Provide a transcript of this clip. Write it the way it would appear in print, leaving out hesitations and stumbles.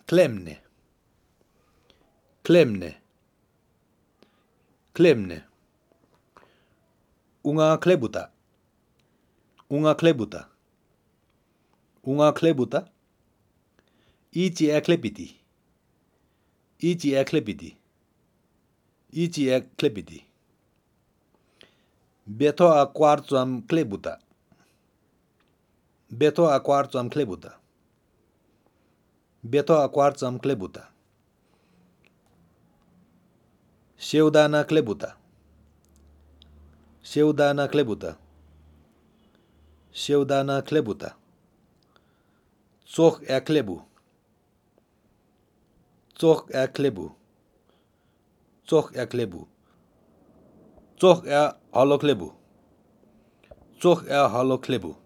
Klemne. Klemne. Klemne. Unga klebuta. Unga klebuta. Unga klebuta. Iti eklepiti. Iti eklepiti. Iti eklepiti. Beto a quartuam klebuta. Beto a quartuam klebuta. Beto a quartuam klebuta. Sheudana klebuta. Sheudana klebuta. Sheudana klebuta. Toch eklebu. Toch eklebu. Toch eklebu. Toch haloklebu. Toch haloklebu.